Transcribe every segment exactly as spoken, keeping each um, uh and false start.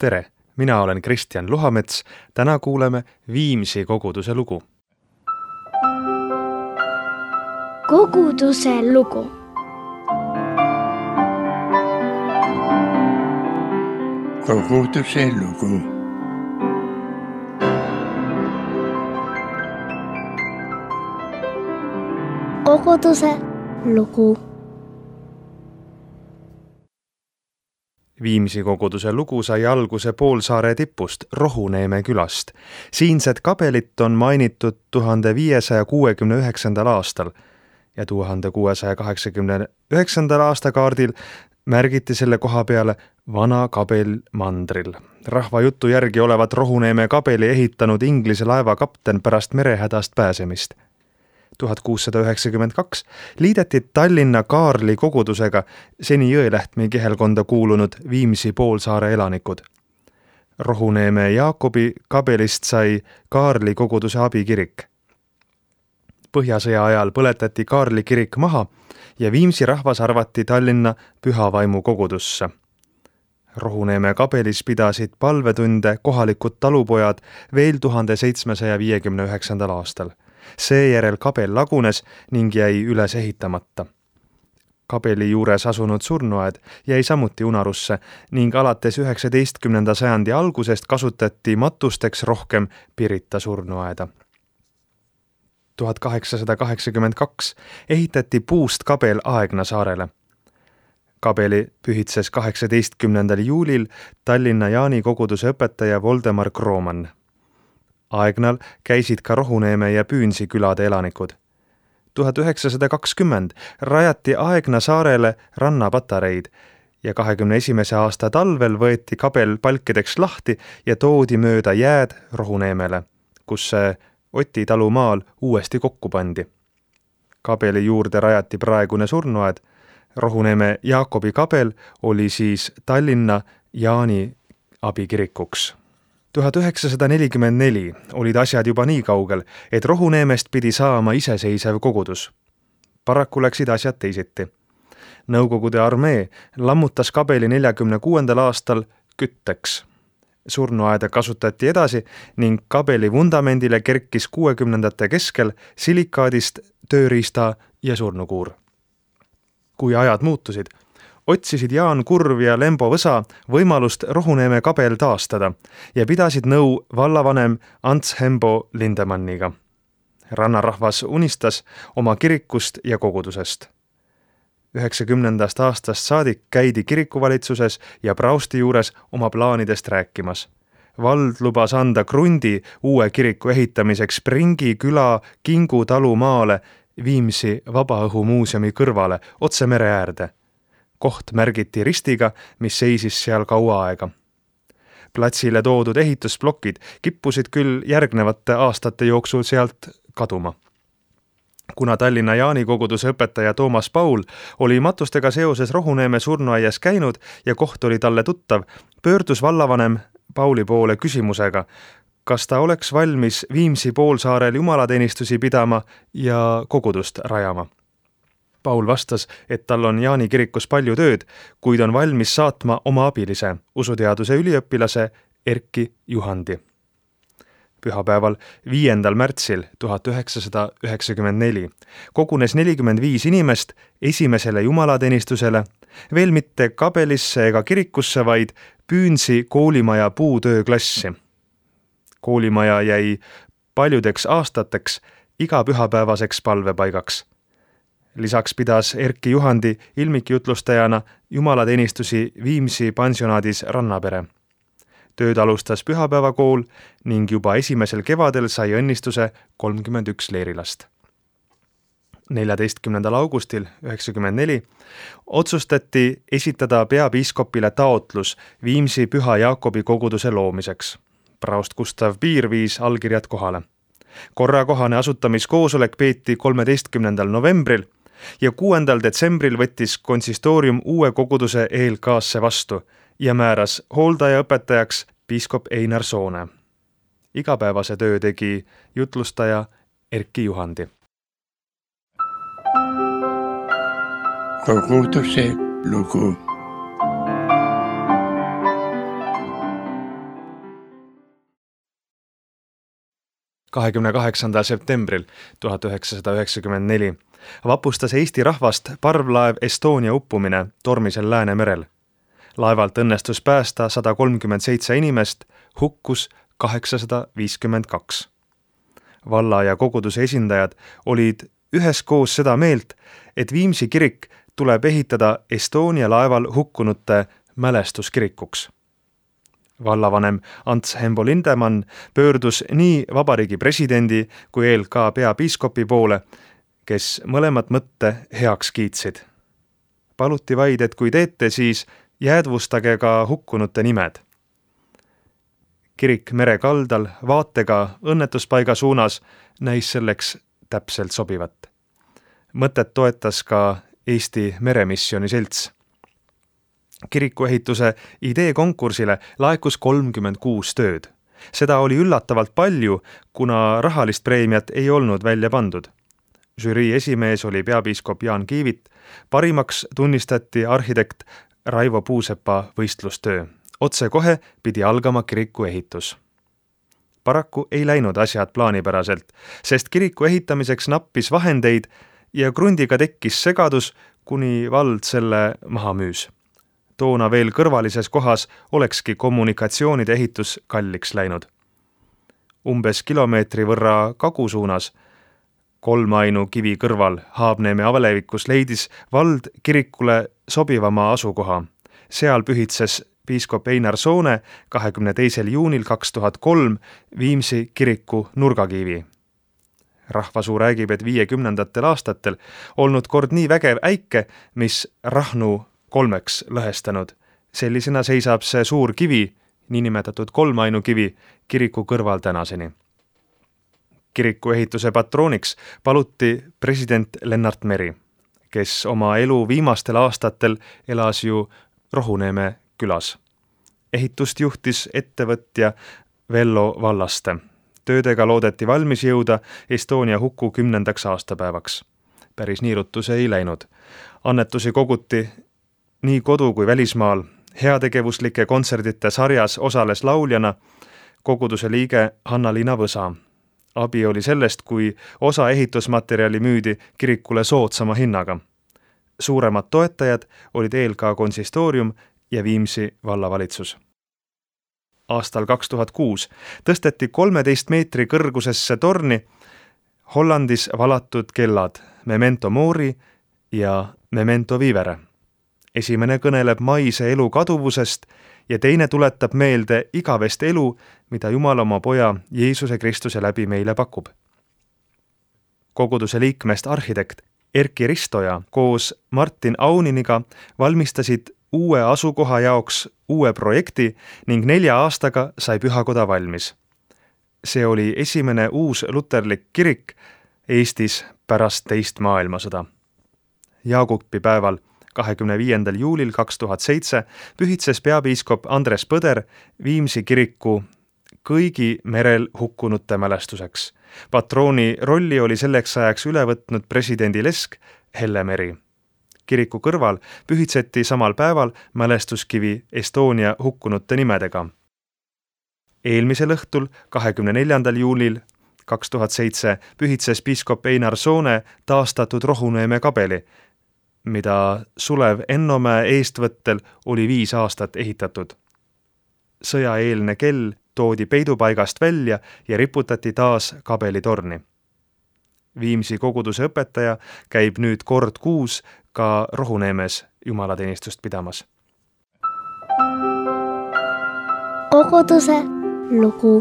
Tere, mina olen Kristjan Luhamets. Täna kuuleme Viimsi koguduse lugu. Koguduse lugu. Koguduse lugu. Koguduse lugu. Viimsi koguduse lugu sai alguse Poolsaare tipust Rohuneeme külast. Siinsed kabelit on mainitud tuhande viiesaja kuuekümne üheksandal aastal ja tuhande kuuesaja kaheksakümne üheksandal aasta kaardil märgiti selle koha peale Vana kabel mandril. Rahva jutu järgi olevat Rohuneeme kabeli ehitanud Inglise laeva kapten pärast merehädast pääsemist. tuhat kuussada üheksakümmend kaks liideti Tallinna Kaarli kogudusega seni Jõelähtme kihelkonda kuulunud Viimsi Poolsaare elanikud. Rohuneeme Jaakobi kabelist sai Kaarli koguduse abikirik. Põhjasõja ajal põletati Kaarli kirik maha ja Viimsi rahvas arvati Tallinna Pühavaimu kogudusse. Rohuneeme kabelis pidasid palvetunde kohalikud talupojad veel tuhande seitsmesaja viiekümne üheksandal aastal. Seejärel kabel lagunes ning jäi üles ehitamata. Kabeli juures asunud surnuaed jäi samuti unarusse ning alates üheksateistkümnenda sajandi algusest kasutati matusteks rohkem Pirita surnuaeda. tuhat kaheksasada kaheksakümmend kaks ehitati puust kabel Aegna saarele. Kabeli pühitses kaheksateistkümnendal juulil Tallinna Jaani koguduse õpetaja Voldemar Krooman. Aegnal käisid ka Rohuneeme ja Püünsi külade elanikud. tuhat üheksasada kakskümmend rajati Aegna saarele rannapatareid ja kahekümne esimese aasta talvel võeti kabel palkideks lahti ja toodi mööda jääd Rohuneemele, kus see Oti talumaal uuesti kokku pandi. Kabeli juurde rajati praegune surnuaed. Rohuneeme Jaakobi kabel oli siis Tallinna Jaani abikirikuks. tuhat üheksasada nelikümmend neli olid asjad juba nii kaugel, et Rohuneemest pidi saama iseseisev kogudus. Paraku läksid asjad teisiti. Nõukogude armee lammutas kabeli neljakümne kuuendal aastal kütteks. Surnuaeda kasutati edasi ning kabeli vundamendile kerkis kuuekümnendate keskel silikaadist tööriista ja surnukuur. Kui ajad muutusid, otsisid Jaan Kurv ja Lembo Võsa võimalust Rohuneeme kabel taastada ja pidasid nõu vallavanem Ants Hembo Lindemanniga. Rannarahvas unistas oma kirikust ja kogudusest. üheksakümnendast aastast saadik käidi kirikuvalitsuses ja praosti juures oma plaanidest rääkimas. Vald lubas anda krundi uue kiriku ehitamiseks Pringi küla Kingu talu maale Viimsi Vabaõhumuuseumi kõrvale otse mere äärde. Koht märgiti ristiga, mis seisis seal kaua aega. Platsile toodud ehitusplokid kippusid küll järgnevate aastate jooksul sealt kaduma. Kuna Tallinna Jaani koguduse õpetaja Toomas Paul oli matustega seoses Rohuneeme surnuaias käinud ja koht oli talle tuttav, pöördus vallavanem Pauli poole küsimusega, kas ta oleks valmis Viimsi Poolsaarel jumalateenistusi pidama ja kogudust rajama. Paul vastas, et tal on Jaani kirikus palju tööd, kuid on valmis saatma oma abilise, usuteaduse üliõpilase Erki Juhandi. Pühapäeval viiendal märtsil tuhat üheksasada üheksakümmend neli kogunes nelikümmend viis inimest esimesele jumalateenistusele, veel mitte kabelisse ega kirikusse, vaid Püünsi koolimaja puutööklassi. Koolimaja jäi paljudeks aastateks igapühapäevaseks palvepaigaks. Lisaks pidas Erki Juhandi ilmikjutlustajana jumalateenistusi Viimsi pansionaadis Rannapere. Tööd alustas pühapäevakool ning juba esimesel kevadel sai õnnistuse kolmkümmend üks leerilast. neljateistkümnendal augustil üheksakümmend neli otsustati esitada peapiiskopile taotlus Viimsi Püha Jaakobi koguduse loomiseks. Praost Gustav Piir viis allkirjad kohale. Korrakohane asutamiskoosolek peeti kolmeteistkümnendal novembril ja kuuendal detsembril võttis konsistoorium uue koguduse E L K-sse vastu ja määras hooldajaõpetajaks piiskop Einar Soone. Igapäevase töö tegi jutlustaja Erki Juhandi. Koguduse lugu. kahekümne kaheksandal septembril tuhat üheksasada üheksakümmend neli vapustas Eesti rahvast parvlaev Estonia uppumine tormisel Läänemerel. Laevalt õnnestus päästa sada kolmkümmend seitse inimest, hukkus kaheksasada viiskümmend kaks. Valla ja koguduse esindajad olid üheskoos seda meelt, et Viimsi kirik tuleb ehitada Estonia laeval hukkunute mälestuskirikuks. Vallavanem Ants Hembo Lindemann pöördus nii vabariigi presidendi kui E L K peapiiskopi poole, kes mõlemat mõtte heaks kiitsid. Paluti vaid, et kui teete, siis jäädvustage ka hukkunute nimed. Kirik mere kaldal vaatega õnnetuspaiga suunas näis selleks täpselt sobivat. Mõtet toetas ka Eesti Meremissiooni selts. Kirikuehituse idee konkursile laekus kolmkümmend kuus tööd. Seda oli üllatavalt palju, kuna rahalist preemiat ei olnud välja pandud. Žürii esimees oli peapiiskop Jaan Kiivit, parimaks tunnistati arhitekt Raivo Puusepa võistlustöö. Otsekohe pidi algama kiriku ehitus. Paraku ei läinud asjad plaanipäraselt, sest kiriku ehitamiseks nappis vahendeid ja krundiga tekkis segadus, kuni vald selle maha müüs. Toona veel kõrvalises kohas olekski kommunikatsioonide ehitus kalliks läinud. Umbes kilomeetri võrra kagusuunas, kolmainu kivi kõrval Haabneeme avalevikus leidis vald kirikule sobivama asukoha. Seal pühitses piiskop Einar Soone kahekümne teisel juunil kaks tuhat kolm Viimsi kiriku nurgakivi. Rahvasuu räägib, et viiekümnendatel aastatel olnud kord nii vägev äike, mis Rahnu kolmeks lõhestanud. Sellisena seisab see suur kivi, niinimetatud kolmainu kivi, kiriku kõrval tänaseni. Kiriku ehituse patrooniks paluti president Lennart Meri, kes oma elu viimastel aastatel elas ju Rohuneeme külas. Ehitust juhtis ettevõtja Vello Vallaste. Töödega loodeti valmis jõuda Estonia huku kümnendaks aastapäevaks. Päris niirutus ei läinud. Annetusi koguti nii kodu kui välismaal. Heategevuslike kontserdite sarjas osales lauljana koguduse liige Hanna-Liina Võsa. Abi oli sellest, kui osa ehitusmaterjali müüdi kirikule soodsama hinnaga. Suuremad toetajad olid E L K konsistoorium ja Viimsi vallavalitsus. Aastal kaks tuhat kuus tõsteti kolmeteist meetri kõrgusesse torni Hollandis valatud kellad Memento Mori ja Memento Vivere. Esimene kõneleb maise elu kaduvusest ja teine tuletab meelde igavest elu, mida Jumal oma poja Jeesuse Kristuse läbi meile pakub. Koguduse liikmest arhitekt Erki Ristoja koos Martin Auniniga valmistasid uue asukoha jaoks uue projekti ning nelja aastaga sai pühakoda valmis. See oli esimene uus luterlik kirik Eestis pärast teist maailmasõda. Jaagupi päeval kahekümne viiendal juulil kaks tuhat seitse pühitses peapiiskop Andres Põder Viimsi kiriku kõigi merel hukkunute mälestuseks. Patrooni rolli oli selleks ajaks üle võtnud presidendi lesk Helle Meri. Kiriku kõrval pühitseti samal päeval mälestuskivi Estonia hukkunute nimedega. Eelmisel õhtul, kahekümne neljandal juulil kaks tuhat seitse pühitses piiskop Einar Soone taastatud Rohuneeme kabeli, mida Sulev Ennomäe eestvõttel oli viis aastat ehitatud. Sõjaeelne kell toodi peidupaigast välja ja riputati taas kabelitorni. Viimsi koguduse õpetaja käib nüüd kord kuus ka Rohuneemes jumalateenistust pidamas. Koguduse lugu.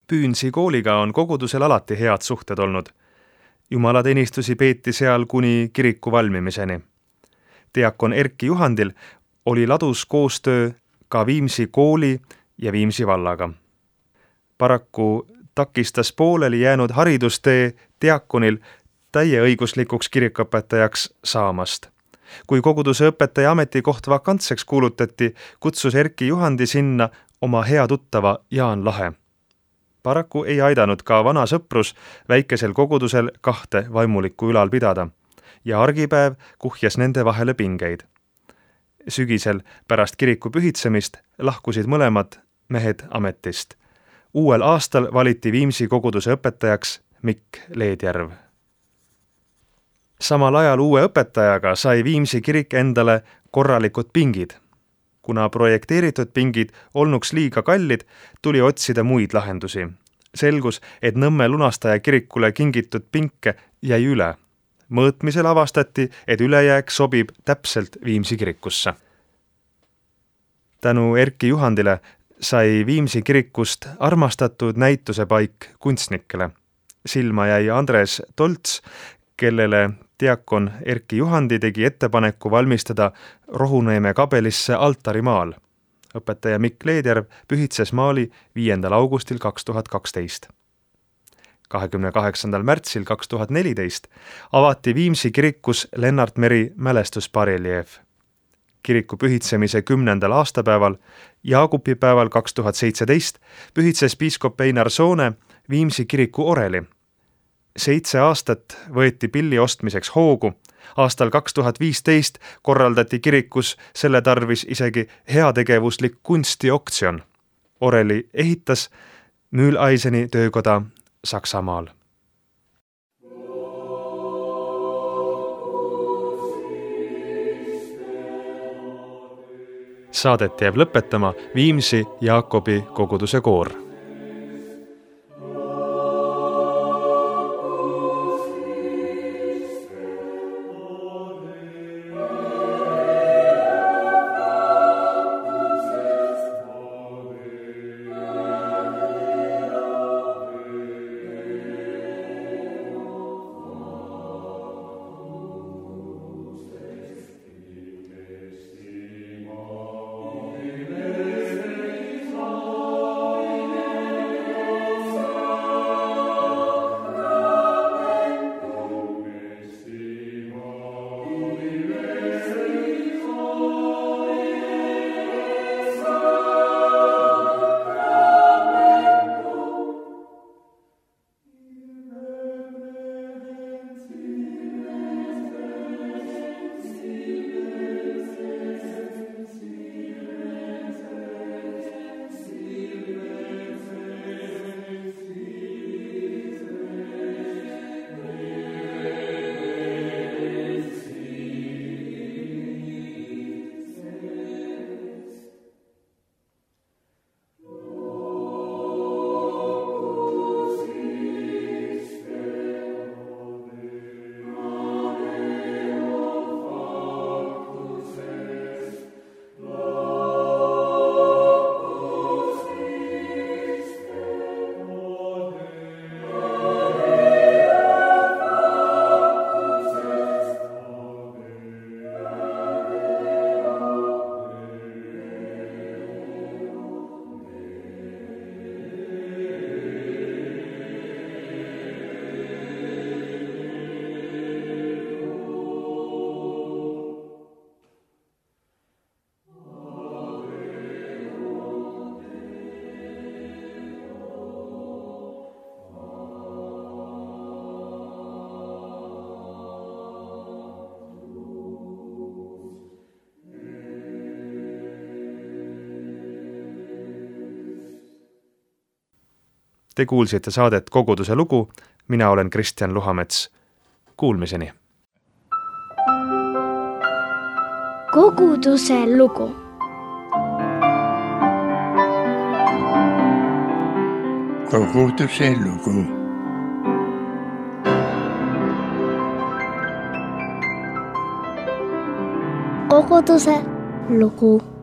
Püünsi kooliga on kogudusel alati head suhted olnud. Jumalateenistusi peeti seal kuni kiriku valmimiseni. Diakon Erki Juhandil oli ladus koostöö ka Viimsi kooli ja Viimsi vallaga. Paraku takistas pooleli jäänud haridustee diakonil täieõiguslikuks kirikuõpetajaks saamast. Kui koguduse õpetaja ametikoht vakantseks kuulutati, kutsus Erki Juhandi sinna oma hea tuttava Jaan Lahe. Paraku ei aidanud ka vana sõprus väikesel kogudusel kahte vaimulikku ülal pidada ja argipäev kuhjas nende vahele pingeid. Sügisel pärast kiriku pühitsemist lahkusid mõlemad mehed ametist. Uuel aastal valiti Viimsi koguduse õpetajaks Mikk Leedjärv. Samal ajal uue õpetajaga sai Viimsi kirik endale korralikud pingid. Kuna projekteeritud pingid olnuks liiga kallid, tuli otsida muid lahendusi. Selgus, et Nõmme lunastaja kirikule kingitud pinke jäi üle. Mõõtmisel avastati, et ülejääk sobib täpselt Viimsi kirikusse. Tänu Erki Juhandile sai Viimsi kirikust armastatud näitusepaik kunstnikele. Silma jäi Andres Tolts, kellele diakon Erki Juhandi tegi ettepaneku valmistada Rohuneeme kabelisse altarimaal. Õpetaja Mikk Leedjärv pühitses maali viiendal augustil kaks tuhat kaksteist. kahekümne kaheksandal märtsil kaks tuhat neliteist avati Viimsi kirikus Lennart Meri mälestusbareljeef. Kiriku pühitsemise kümnendal aastapäeval, Jaagupipäeval kaks tuhat seitseteist, pühitses piiskop Einar Soone Viimsi kiriku oreli. Seitse aastat võeti pilli ostmiseks hoogu. Aastal kaks tuhat viisteist korraldati kirikus selle tarvis isegi heategevuslik kunstioktsion. Oreli ehitas Mühleiseni töökoda Saksamaal. Saadet jääb lõpetama Viimsi Jaakobi koguduse koor. Te kuulsite saadet Koguduse lugu, mina olen Kristjan Luhamets. Kuulmiseni! Koguduse lugu. Koguduse lugu. Koguduse lugu.